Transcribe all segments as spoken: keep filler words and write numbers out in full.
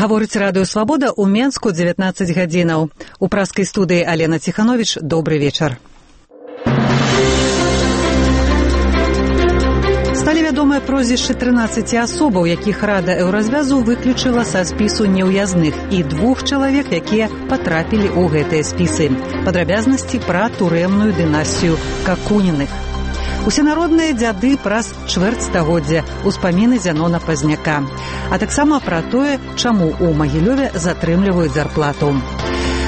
Гаворыць радыё «Свабода» ў Менску дзевятнаццаць гадзінаў. У праскай студыі Алена Ціхановіч. Добры вечар. Сталі вядомыя прозвішчы трынаццаці асобаў, якіх Рада Еўразвязу выключыла са спісу неўязных, і двух чалавек, якія патрапілі ў гэтыя спісы. Падрабязнасці пра турэмную дынастыю Какуніных. Усенародныя дзяды праз чвэрць стагоддзя, успаміны Зянона Пазняка. А таксама пра тое, чаму ў Магілёве затрымліваюць зарплату.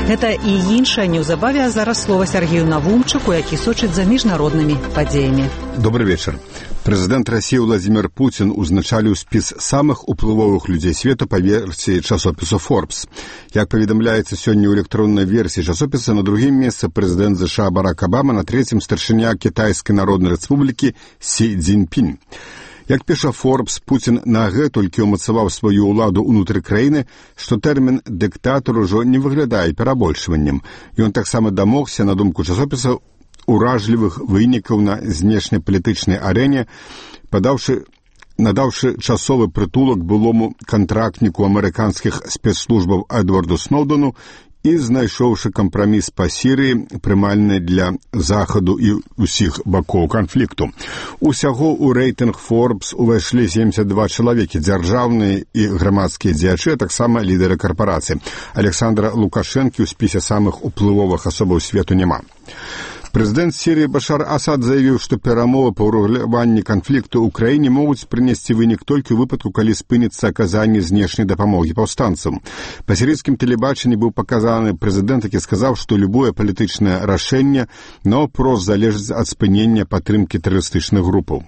Гэта і іншае неўзабаве, а зараз слова Сергею Навумчыку, які сочыць за міжнароднымі падзеямі. Добрый вечар. Прэзідэнт Расіі Владзімір Пуцін узначаліў спіс самых уплывовых людзей свету па версіі часопісу Forbes. Як паведамляецца сёння ў электроннай версіі часопіса, на другім месцы прэзідэнт ЗША Барак Абама, на трэцім старшыня Кітайскай Народнай Рэспублікі Сі Цзіньпінь. Як піша Forbes, Пуцін нагэтулькі ўмацаваў сваю ўладу ўнутры краіны, што тэрмін «дыктатар» ужо не выглядае перабольшваннем. Ён таксама дамогся, на думку часопіса, уражлівых вынікаў на знешнепалітычнай арэне, падаўшы, надаўшы часовы прытулак былому кантрактніку амерыканскіх спецслужбаў Эдварду Сноўдену і знайшоўшы кампраміс па Сірыі, прымальны для захаду і ўсіх бакоў канфлікту. Усяго ў рэйтынг Forbes увайшлі семдзесят два чалавекі, дзяржаўныя і грамадскія дзеячы, а таксама лідары карпорацый. Александра Лукашэнкі ў спісе самых уплывовых асобаў свету няма. Прэзідэнт Сірыі Башар Асад заявіў, што перамовы па ўрэгуляванні канфлікту ў краіне могуць прынесці вынік толькі ў выпадку, калі спыніцца аказанне знешняй дапамогі паўстанцам. Па сірыйскім тэлебачанні быў паказаны прэзідэнт, які сказаў, што любое палітычнае рашэнне наўпрост залежыць ад спынення падтрымкі тэрарыстычных групаў.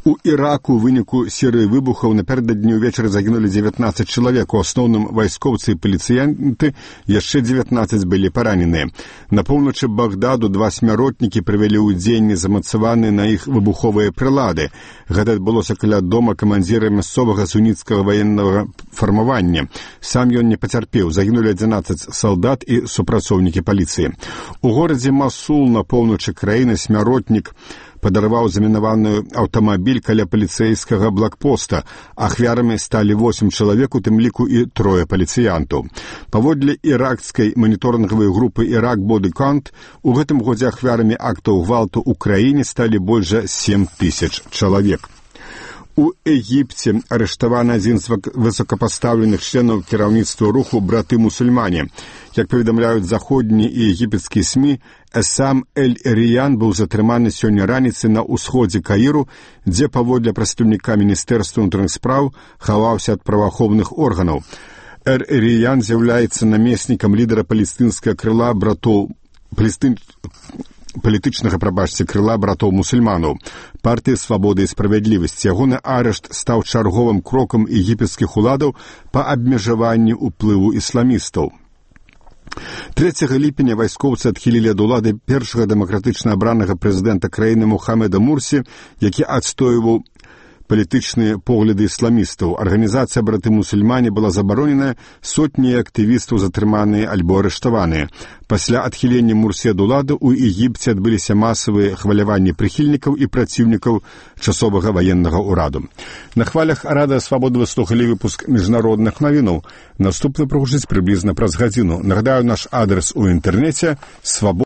У Іраку ў выніку серыі выбухаў напярэдадні ўвечары загінулі дзевятнаццаць чалавек, у асноўным вайскоўцы і паліцыянты, яшчэ дзевятнаццаць былі параненыя. На поўначы Багдаду два смяротнікі прывялі ў дзеянне замацаваныя на іх выбуховыя прылады. Гэта адбылося каля дома камандзіра мясцовага суніцкага ваеннага фармавання. Сам ён не пацярпеў, загінулі адзінаццаць салдат і супрацоўнікі паліцыі. У горадзе Масул на поўначы краіны смяротнік падарваў замінаваны аўтамабіль каля паліцэйскага блакпоста. Ахвярамі сталі восем чалавек, у тым ліку і трое паліцыянтаў. Паводле іракскай маніторынгавай групы «Ирак Боди Кант», у гэтым годзе ахвярамі актаў гвалту ў краіне сталі больш за сем тысяч чалавек. У Егіпце арыштаваны адзін з высокапастаўленых членаў кіраўніцтва руху «Браты-мусульмане». Як паведамляюць заходнія і егіпецкія СМІ, Эсам Эль-Риян быў затрыманы сёння раніцай на ўсходзе Каіру, дзе паводле прадстаўніка Міністэрства ўнутраных спраў хаваўся ад праваахоўных органаў. Эль-Риян з'яўляецца намеснікам лідара палестынскага крыла братоў палестын палітычнага, прабачце, крыла братоў-мусульманаў, партыі «Свабода і справядлівасць». Ягоны арышт стаў чарговым крокам егіпецкіх уладаў па абмежаванні ўплыву ісламістаў. трэцяга ліпеня вайскоўцы адхілілі ад улады першага дэмакратычна абранага прэзідэнта краіны Мухаммеда Мурсі, які адстойваў палітычныя погляды ісламістаў. Арганізацыя «Браты-мусульмане» была забароненая, сотні актывістаў затрыманыя альбо арыштаваныя. Пасля адхілення Мурсі ад улады ў Егіпце адбыліся масавыя хваляванні прыхільнікаў і праціўнікаў часовага ваеннага ўраду. На хвалях Радыё Свабода вы слухалі выпуск міжнародных навінаў. Наступны прагучыць прыблізна праз гадзіну. Нагадаю, наш адрес у інтэрнэце свабода.